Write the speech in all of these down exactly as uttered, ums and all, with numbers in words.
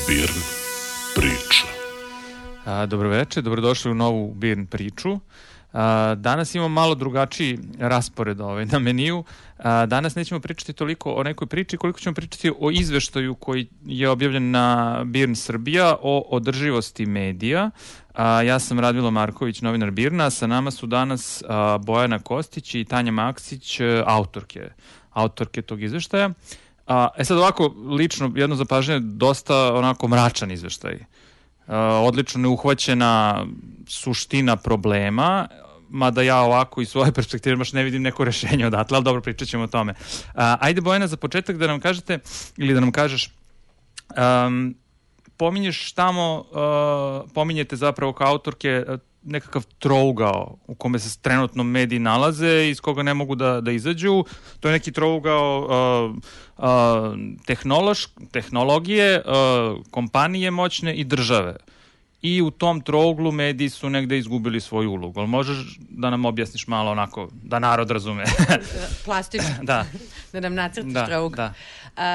Birn priča. Dobroveče, dobrodošli u novu Birn priču. Danas imamo malo drugačiji raspored ovaj, na meniju. Danas nećemo pričati toliko o nekoj priči koliko ćemo pričati o izveštaju koji je objavljen na Birn Srbija o održivosti medija. Ja sam Radmilo Marković, novinar Birna, sa nama su danas Bojana Kostić i Tanja Maksić, autorke, autorke tog izveštaja. E sad ovako, lično, jedno zapažanje, dosta onako mračan izveštaj. Odlično neuhvaćena suština problema, mada ja ovako iz svoje perspektive baš ne vidim neko rešenje odatle, ali dobro, pričat ćemo o tome. Ajde, Bojana, za početak da nam kažete, ili da nam kažeš, um, pominješ tamo, uh, pominjete zapravo kao autorke nekakav trougao u kome se trenutno mediji nalaze, iz koga ne mogu da, da izađu. To je neki trougao uh, uh, tehnološ, tehnologije, uh, kompanije moćne i države. I u tom trouglu mediji su negde izgubili svoju ulogu. Ali možeš da nam objasniš malo onako, da narod razume? Plastično. Da. Da nam nacrtiš da, trougl. Da.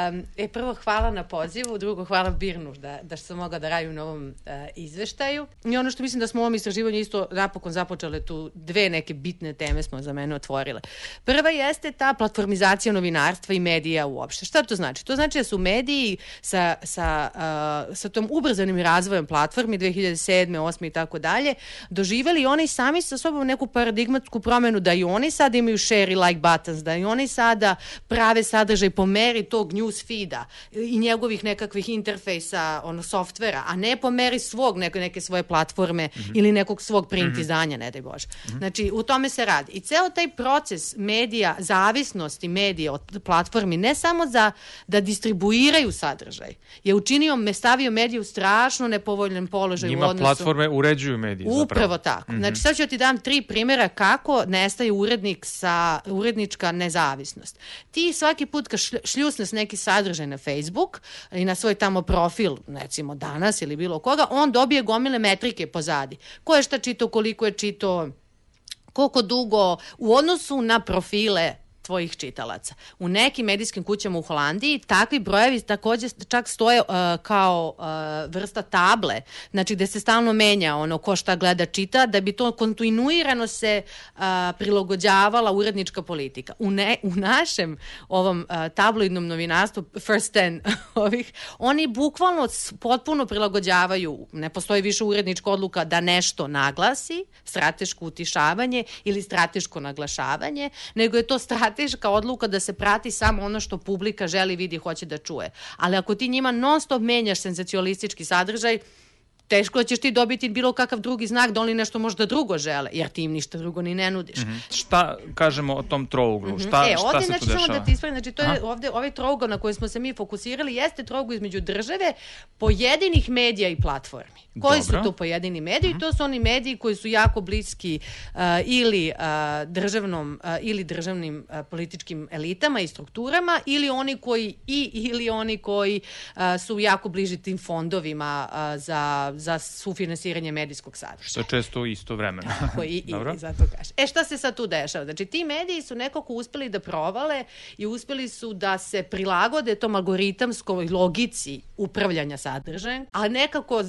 Um, e, prvo, hvala na pozivu, drugo, hvala Birnu da, da sam mogla da radim na ovom uh, izveštaju. I ono što mislim da smo u ovom istraživanju isto napokon započele tu dve neke bitne teme smo za mene otvorile. Prva jeste ta platformizacija novinarstva i medija uopšte. Šta to znači? To znači da su mediji sa, sa, uh, sa tom ubrzanim razvojem platformi dve hiljade sedme, osme i tako dalje, doživeli oni sami sa sobom neku paradigmatsku promenu da i oni sada imaju share i like buttons, da i oni sada prave sadržaj po meri tog news feeda i njegovih nekakvih interfejsa, ono, softvera, a ne po meri svog, neke, neke svoje platforme mm-hmm. ili nekog svog print mm-hmm. izdanja, ne daj Bože. Mm-hmm. Znači, u tome se radi. I ceo taj proces medija, zavisnosti medija od platformi, ne samo za da distribuiraju sadržaj, je učinio, me stavio medije u strašno nepovoljan položaj njima u odnosu. Platforme uređuju medije. Upravo zapravo. tako. Mm-hmm. Znači, sad ću ti dam tri primjera kako nestaje urednik sa, urednička nezavisnost. Ti svaki put kad šljusneš neki sadržaj na Facebook i na svoj tamo profil, recimo danas ili bilo koga, on dobije gomile metrike pozadi. Ko je šta čitao, koliko je čitao, koliko dugo, u odnosu na profile tvojih čitalaca. U nekim medijskim kućama u Holandiji takvi brojevi takođe čak stoje uh, kao uh, vrsta table, znači gde se stalno menja ono ko šta gleda, čita, da bi to kontinuirano se uh, prilagođavala urednička politika. U, ne, u našem ovom uh, tabloidnom novinarstvu First Ten ovih, oni bukvalno potpuno prilagođavaju, ne postoji više urednička odluka da nešto naglasi, strateško utišavanje ili strateško naglašavanje, nego je to strateško teška odluka da se prati samo ono što publika želi, vidi, hoće da čuje. Ali ako ti njima non stop menjaš senzacionalistički sadržaj, teško ćeš ti dobiti bilo kakav drugi znak da oni nešto možda drugo žele, jer ti im ništa drugo ni ne nudiš. Mm-hmm. Šta kažemo o tom trouglu? Mm-hmm. Šta, e, šta ovdje, se znači, tu dešava? Samo da ti ispravim, znači to je ovdje, ovaj trougao na koji smo se mi fokusirali jeste trougao između države, pojedinih medija i platformi. Koji Dobro. su to pojedini mediji? Mm-hmm. To su oni mediji koji su jako bliski uh, ili, uh, državnom, uh, ili državnim uh, političkim elitama i strukturama, ili oni koji i ili oni koji uh, su jako bliži tim fondovima uh, za, za sufinansiranje medijskog sadržaja. Što je često isto vremeno. Tako, i, i, i zato kaže. E, šta se sad tu dešava? Znači, ti mediji su nekako uspeli da provale i uspeli su da se prilagode tom algoritamskoj logici upravljanja sadržajem, a nekako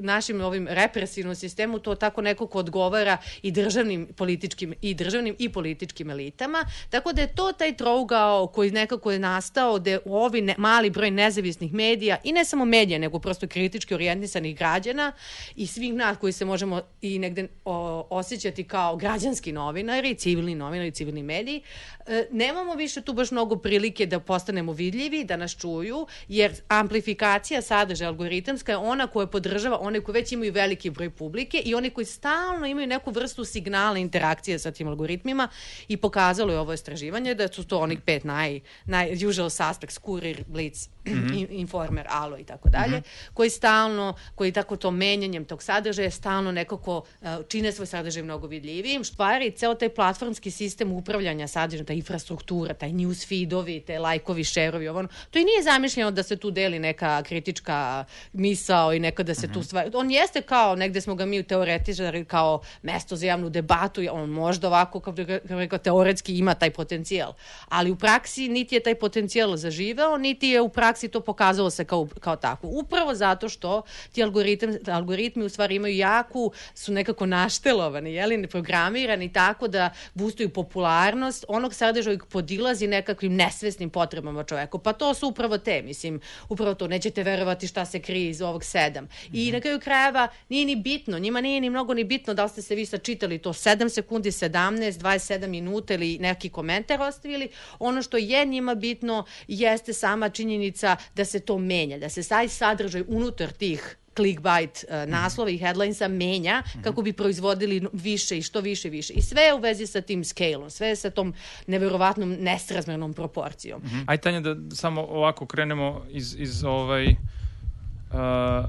našim ovim represivnom sistemu to tako nekako odgovara i državnim političkim i državnim i političkim elitama, tako da je to taj trougao koji nekako je nastao da ovi ne, mali broj nezavisnih medija i ne samo medija, nego prosto kritički orijentisanih građana i svih nas koji se možemo i negde o, osjećati kao građanski novinari, civilni novinari, civilni mediji, e, nemamo više tu baš mnogo prilike da postanemo vidljivi, da nas čuju, jer amplifikacija sadržaja algoritamska je ona koja podržava one koji već imaju veliki broj publike i oni koji stalno imaju neku vrstu signala interakcije sa tim algoritmima i pokazalo je ovo istraživanje da su to onih pet naj, naj usual suspects, Kurir, Blitz, mm-hmm. Informer, Alo i tako dalje, koji stalno, koji tako to menjanjem tog sadržaja stalno nekako uh, čine svoj sadržaj mnogo vidljivijim. Stvari, ceo taj platformski sistem upravljanja sadržajem, ta infrastruktura, taj news feedovi, te lajkovi, šerovi, ovo, to i nije zamišljeno da se tu deli neka kritička misao i neka da se mm-hmm. tu stvari... On jeste kao, negde smo ga mi teoretičari, kao mesto za javnu debatu, on možda ovako, kao rekao, teoretski ima taj potencijal, ali u praksi niti je taj potencijal zaživeo, niti je u praksi to pokazalo se kao, kao tako. Upravo zato što ti algoritmi, algoritmi u stvari imaju jaku, su nekako naštelovani, jeli, programirani tako da boostuju popularnost onog sadržaja koji podilazi nekakvim nesvesnim potrebama čoveku. Pa to su upravo te, mislim, upravo to, nećete verovati šta se krije iz ovog sedam. I na kraju krajeva nije ni bitno, njima nije ni mnogo ni bitno da li ste se vi sad čitali to sedam sekundi, sedamnaest, dvadeset sedam minuta ili neki komentar ostavili. Ono što je njima bitno jeste sama činjenica da se to menja, da se taj sadržaj unutar tih clickbait uh, naslova i headlinesa menja kako bi proizvodili više i što više i više. I sve je u vezi sa tim scale-om, sve je sa tom neverovatnom nesrazmernom proporcijom. Mm-hmm. Ajde, Tanja, da samo ovako krenemo iz, iz ovaj... Uh,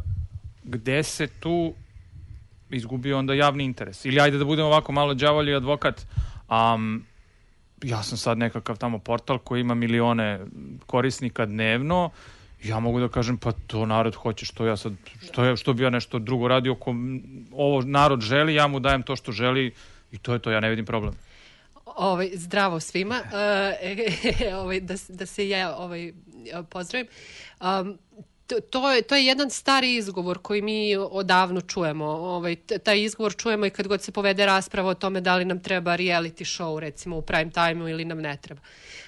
gde se tu izgubio onda javni interes? Ili ajde da budemo ovako malo đavolji advokat. Um, ja sam sad nekakav tamo portal koji ima milione korisnika dnevno. Ja mogu da kažem, pa to narod hoće, što ja sad, što, ja, što bi ja nešto drugo radio, ko ovo narod želi, ja mu dajem to što želi i to je to, ja ne vidim problem. Ovaj, zdravo svima, uh, ovaj, da, da se ja ovaj, pozdravim. Um, To, to, je, to je jedan stari izgovor koji mi odavno čujemo. Ovaj, taj izgovor čujemo i kad god se povede rasprava o tome da li nam treba reality show, recimo u prime time-u, ili nam ne treba.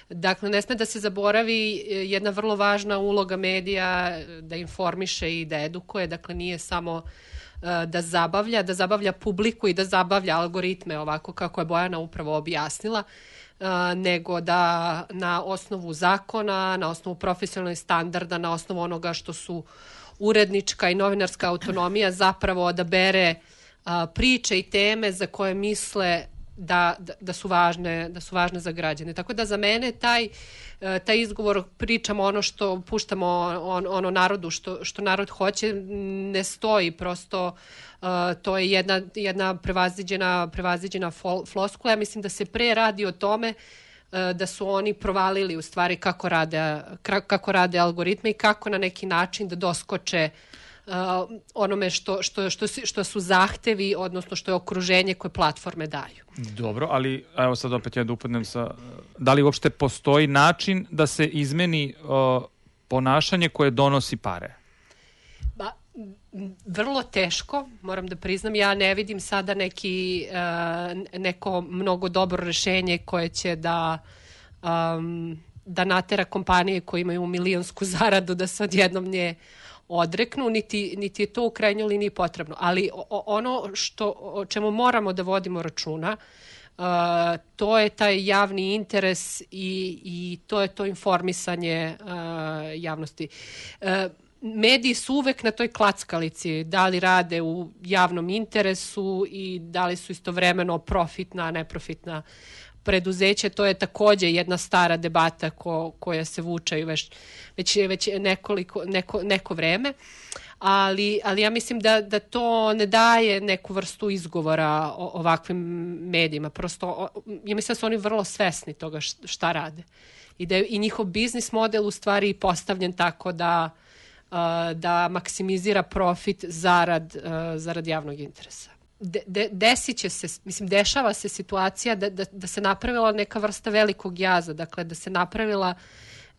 Dakle, ne sme da se zaboravi jedna vrlo važna uloga medija da informiše i da edukuje. Dakle, nije samo uh, da zabavlja, da zabavlja publiku i da zabavlja algoritme, ovako kako je Bojana upravo objasnila, Uh, nego da na osnovu zakona, na osnovu profesionalnih standarda, na osnovu onoga što su urednička i novinarska autonomija zapravo odabere uh, priče i teme za koje misle da, da, da, su važne, da su važne za građane. Tako da za mene taj, uh, taj izgovor, pričamo ono što puštamo on, ono narodu, što, što narod hoće, ne stoji. Prosto Uh, to je jedna, jedna prevaziđena, prevaziđena fol, floskula. Ja mislim da se pre radi o tome uh, da su oni provalili u stvari kako rade, kako rade algoritme i kako na neki način da doskoče uh, onome što, što, što, što su zahtevi, odnosno što je okruženje koje platforme daju. Dobro, ali evo sad opet ja da upadnem sa... Da li uopšte postoji način da se izmeni uh, ponašanje koje donosi pare? Ba, vrlo teško, moram da priznam. Ja ne vidim sada neki, uh, neko mnogo dobro rešenje koje će da, um, da natera kompanije koje imaju milionsku zaradu da se odjednom nje odreknu, niti, niti je to u krajnjoj liniji potrebno. Ali o, ono što, o čemu moramo da vodimo računa, uh, to je taj javni interes i, i to je to informisanje uh, javnosti. Uh, Mediji su uvek na toj klackalici, da li rade u javnom interesu i da li su istovremeno profitna, neprofitna preduzeća. To je takođe jedna stara debata ko, koja se vuče već, već, već nekoliko, neko, neko vreme, ali, ali ja mislim da, da to ne daje neku vrstu izgovora o ovakvim medijima. Prosto, ja mislim da su oni vrlo svesni toga šta rade i da je i njihov biznis model u stvari postavljen tako da da maksimizira profit zarad, zarad javnog interesa. De, de, desit će se, mislim, dešava se situacija da, da, da se napravila neka vrsta velikog jaza, dakle da se napravila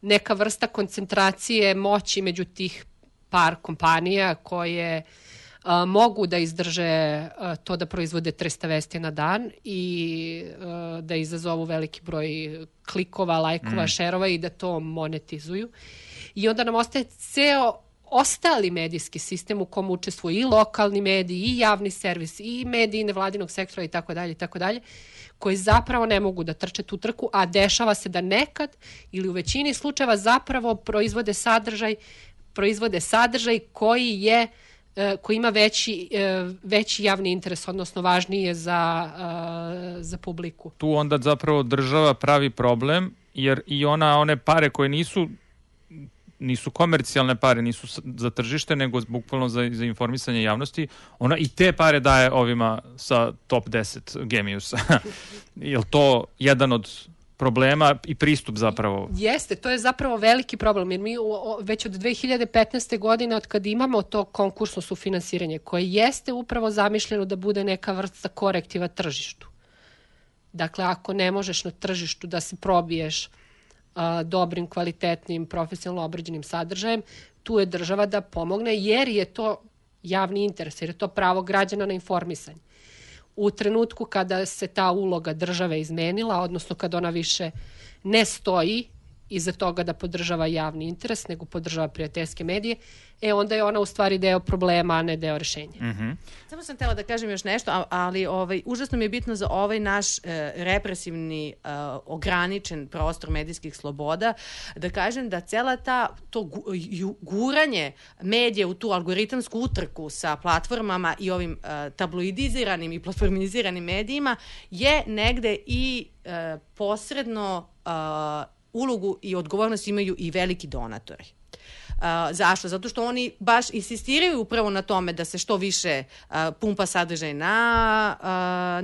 neka vrsta koncentracije moći među tih par kompanija koje a, mogu da izdrže a, to da proizvode trista vesti na dan i a, da izazovu veliki broj klikova, lajkova, mm. šerova i da to monetizuju. I onda nam ostaje ceo ostali medijski sistem u kom učestvuju i lokalni mediji, i javni servis, i mediji nevladinog sektora i tako dalje i tako dalje, koji zapravo ne mogu da trče tu trku, a dešava se da nekad ili u većini slučajeva zapravo proizvode sadržaj, proizvode sadržaj koji je koji ima veći, veći javni interes, odnosno važnije za, za publiku. Tu onda zapravo država pravi problem, jer i ona one pare koje nisu nisu komercijalne pare, nisu za tržište, nego bukvalno za, za informisanje javnosti, ona i te pare daje ovima sa top deset Geniusa. Je li to jedan od problema i pristup zapravo? Jeste, to je zapravo veliki problem, jer mi o, već od dve hiljade petnaeste. godine, od kad imamo to konkursno sufinansiranje, koje jeste upravo zamišljeno da bude neka vrsta korektiva tržištu. Dakle, ako ne možeš na tržištu da se probiješ a, dobrim, kvalitetnim, profesionalno obrađenim sadržajem, tu je država da pomogne, jer je to javni interes, jer je to pravo građana na informisanje. U trenutku kada se ta uloga države izmenila, odnosno kada ona više ne stoji iza toga da podržava javni interes, nego podržava prijateljske medije, e onda je ona u stvari deo problema, a ne deo rešenja. Mm-hmm. Samo sam htjela da kažem još nešto, ali ovaj, užasno mi je bitno za ovaj naš e, represivni, e, ograničen prostor medijskih sloboda, da kažem da cela ta, to gu, ju, guranje medija u tu algoritamsku utrku sa platformama i ovim e, tabloidiziranim i platformiziranim medijima je negde i e, posredno e, ulogu i odgovornost imaju i veliki donatori. Uh, zašto? Zato što oni baš insistiraju upravo na tome da se što više uh, pumpa sadržaj na, uh,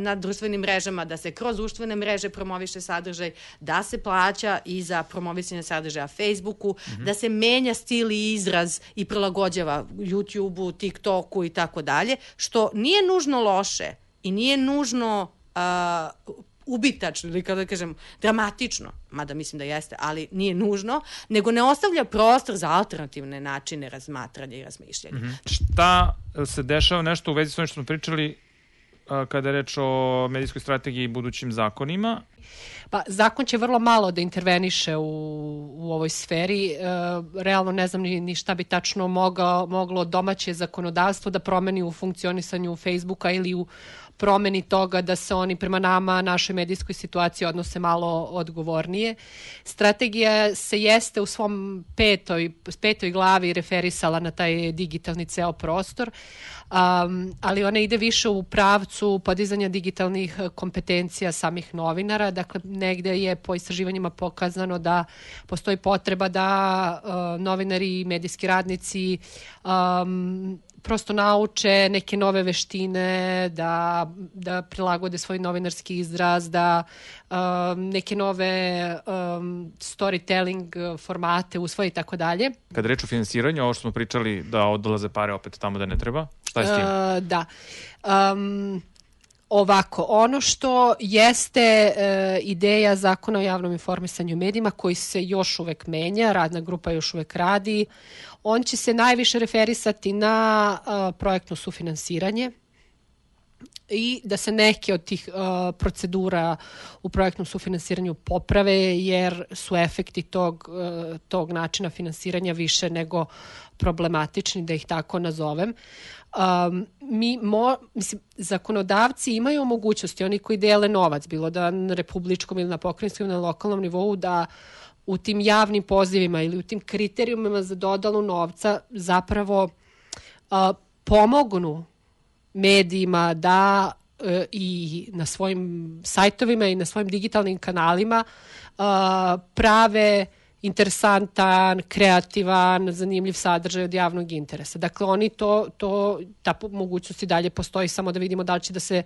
na društvenim mrežama, da se kroz društvene mreže promoviše sadržaj, da se plaća i za promovisanje sadržaja Facebooku, mm-hmm. da se menja stil i izraz i prilagođava YouTubeu, TikToku i tako dalje, što nije nužno loše i nije nužno uh, ubitačno ili kada kažem dramatično, mada mislim da jeste, ali nije nužno, nego ne ostavlja prostor za alternativne načine razmatranja i razmišljanja. Mm-hmm. Šta se dešava nešto u vezi s ovim što smo pričali uh, kada je reč o medijskoj strategiji i budućim zakonima? Pa, zakon će vrlo malo da interveniše u, u ovoj sferi. E, realno ne znam ni, ni šta bi tačno mogao, moglo domaće zakonodavstvo da promeni u funkcionisanju Facebooka ili u promeni toga da se oni prema nama, našoj medijskoj situaciji odnose malo odgovornije. Strategija se jeste u svom petoj, petoj glavi referisala na taj digitalni ceo prostor, um, ali ona ide više u pravcu podizanja digitalnih kompetencija samih novinara. Dakle, negde je po istraživanjima pokazano da postoji potreba da uh, novinari i medijski radnici um, prosto nauče neke nove veštine, da, da prilagode svoj novinarski izraz, da um, neke nove um, storytelling formate usvoje i tako dalje. Kad reč o finansiranju, ovo što smo pričali da odlaze pare opet tamo da ne treba, šta je s tim? Uh, da. Um, Ovako, ono što jeste e, ideja Zakona o javnom informisanju i medijima, koji se još uvek menja, radna grupa još uvek radi, on će se najviše referisati na a, projektno sufinansiranje i da se neke od tih a, procedura u projektnom sufinansiranju poprave, jer su efekti tog, a, tog načina finansiranja više nego problematični, da ih tako nazovem. Um, mi mo, mislim, zakonodavci imaju mogućnosti, oni koji dele novac, bilo da na republičkom ili na pokrajinskom ili na lokalnom nivou, da u tim javnim pozivima ili u tim kriterijumima za dodelu novca zapravo uh, pomognu medijima da uh, i na svojim sajtovima i na svojim digitalnim kanalima uh, prave interesantan, kreativan, zanimljiv sadržaj od javnog interesa. Dakle, oni to, to, ta mogućnost i dalje postoji, samo da vidimo da li će da se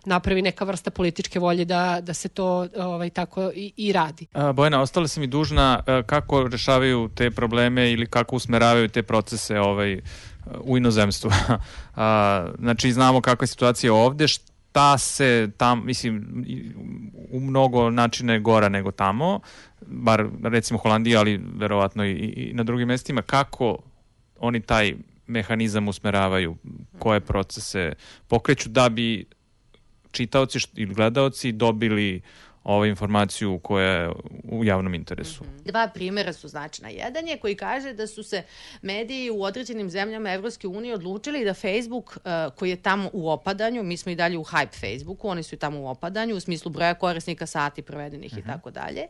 napravi neka vrsta političke volje da, da se to ovaj, tako i, i radi. A, Bojana, ostala si mi dužna kako rešavaju te probleme ili kako usmeravaju te procese ovaj, u inozemstvu. A, znači, znamo kakva je situacija ovde, šta se tam, mislim, u mnogo načina je gora nego tamo, bar recimo Holandija, ali verovatno i, i na drugim mestima. Kako oni taj mehanizam usmeravaju, koje procese pokreću da bi čitaoci ili gledaoci dobili ovu informaciju koja je u javnom interesu. Dva primjera su značajna. Jedan je koji kaže da su se mediji u određenim zemljama Evropske unije odlučili da Facebook, uh, koji je tamo u opadanju, mi smo i dalje u hype Facebooku, oni su i tamo u opadanju, u smislu broja korisnika, sati provedenih uh-huh. i tako dalje,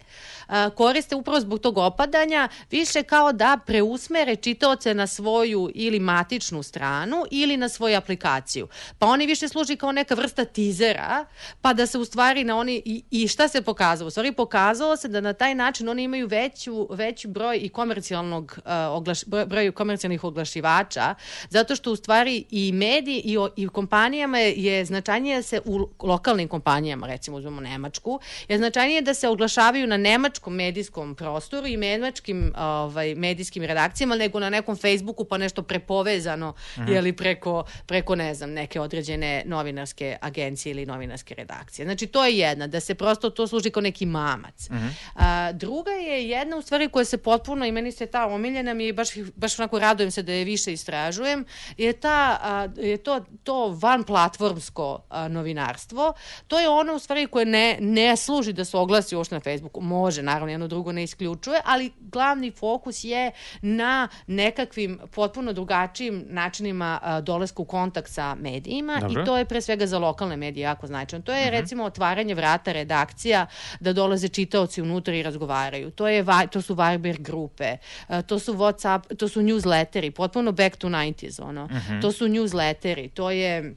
uh, koriste upravo zbog tog opadanja više kao da preusmere čitaoce na svoju ili matičnu stranu ili na svoju aplikaciju. Pa oni više služi kao neka vrsta tizera, pa da se u stvari na oni i, i šta šta se pokazalo? U stvari pokazalo se da na taj način oni imaju veću, veći broj i komercijalnog, uh, oglaš, broj, broj komercijalnih oglašivača, zato što u stvari i mediji i, o, i u kompanijama je značajnije se u lokalnim kompanijama, recimo uzmemo Nemačku, je značajnije da se oglašavaju na nemačkom medijskom prostoru i nemačkim ovaj, medijskim redakcijama nego na nekom Facebooku pa nešto prepovezano mm-hmm. jeli preko, preko, ne znam, neke određene novinarske agencije ili novinarske redakcije. Znači, to je jedna, da se prosto to služi kao neki mamac. Mm-hmm. A, druga je jedna, u stvari, koja se potpuno, i meni se ta omiljena, mi baš, baš onako radujem se da je više istražujem, je, ta, a, je to, to vanplatformsko a, novinarstvo. To je ono, u stvari, koje ne, ne služi da se oglasi uopšte na Facebooku. Može, naravno, jedno drugo ne isključuje, ali glavni fokus je na nekakvim potpuno drugačijim načinima a, dolaska u kontakt sa medijima. Dobro. I to je pre svega za lokalne medije jako značajno. To je uh-huh. recimo otvaranje vrata redakcija da dolaze čitaoci unutra i razgovaraju. To, je, to su Viber grupe, uh, to su WhatsApp, to su newsletteri, potpuno back to nineties, ono. Uh-huh. To su newsletteri, to je...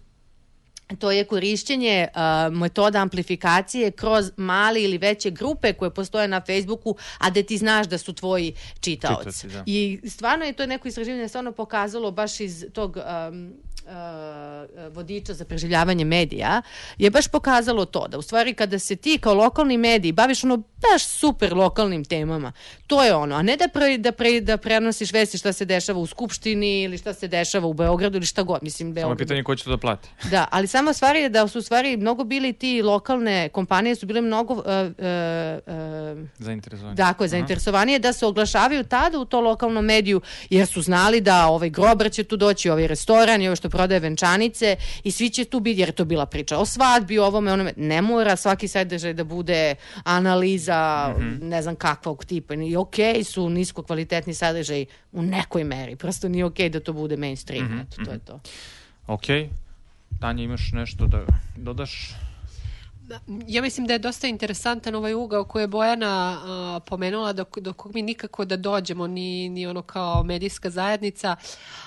To je korišćenje uh, metoda amplifikacije kroz male ili veće grupe koje postoje na Facebooku, a da ti znaš da su tvoji čitaoci. Da. I stvarno je to neko istraživanje stvarno pokazalo baš iz tog um, uh, vodiča za preživljavanje medija, je baš pokazalo to, da u stvari kada se ti kao lokalni mediji baviš ono baš super lokalnim temama, to je ono, a ne da, pre, da, pre, da prenosiš vesti šta se dešava u Skupštini ili šta se dešava u Beogradu ili šta god. Mislim, Beogradu. Samo pitanje ko će to da plati. Da, ali samo stvar je da su u stvari mnogo bili ti lokalne kompanije su bile mnogo uh, uh, uh, zainteresovanije. Dakle, zainteresovanije da se oglašavaju tada u to lokalnom mediju, jer su znali da ovaj grobar će tu doći, ovaj restoran i ovo što prodaje venčanice i svi će tu biti, jer je to bila priča o svadbi, o ovome, onome. Ne mora svaki sadržaj da bude analiza, mm-hmm. ne znam kakvog tipa. I okej okay su nisko kvalitetni sadržaj u nekoj meri. Prosto nije okej okay da to bude mainstream. Mm-hmm. Eto, to je to. Okej. Okay. Tanja, imaš nešto da dodaš? Ja mislim da je dosta interesantan ovaj ugao koji je Bojana uh, pomenula, do, do kog mi nikako da dođemo, ni, ni ono kao medijska zajednica,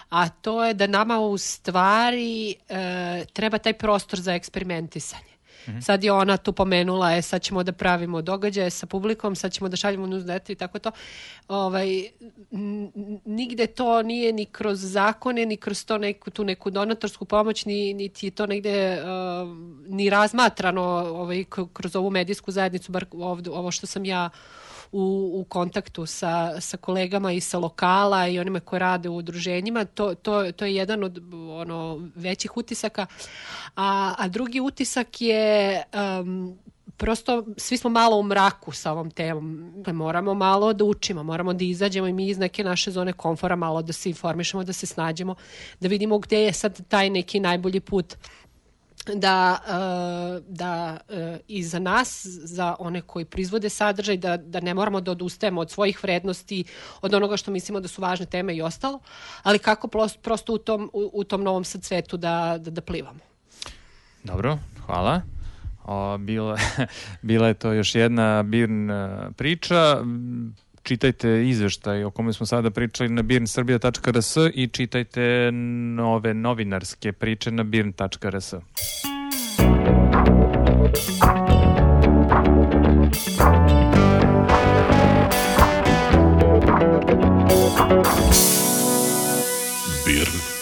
a to je da nama u stvari uh, treba taj prostor za eksperimentisanje. Mm-hmm. Sad je ona tu pomenula, e, sad ćemo da pravimo događaje sa publikom, sad ćemo da šaljemo newsletter i tako to. Ovaj, n- nigde to nije ni kroz zakone, ni kroz to neku, tu neku donatorsku pomoć, ni, niti je to negde uh, ni razmatrano ovaj, kroz ovu medijsku zajednicu, bar ovdje, ovo što sam ja U, u kontaktu sa, sa kolegama i sa lokala i onima koji rade u udruženjima, to, to, to je jedan od ono, većih utisaka. A, a drugi utisak je um, prosto svi smo malo u mraku sa ovom temom. Moramo malo da učimo, moramo da izađemo i mi iz neke naše zone komfora malo da se informišemo, da se snađemo, da vidimo gde je sad taj neki najbolji put da, uh, da uh, i za nas, za one koji proizvode sadržaj, da, da ne moramo da odustajemo od svojih vrednosti, od onoga što mislimo da su važne teme i ostalo, ali kako prosto, prosto u, tom, u, u tom novom sad svetu da, da, da plivamo. Dobro, hvala. O, bila, bila je to još jedna Birn priča. Čitajte izveštaj o kome smo sada pričali na birn srbija tačka r s i čitajte nove novinarske priče na birn tačka r s. Birn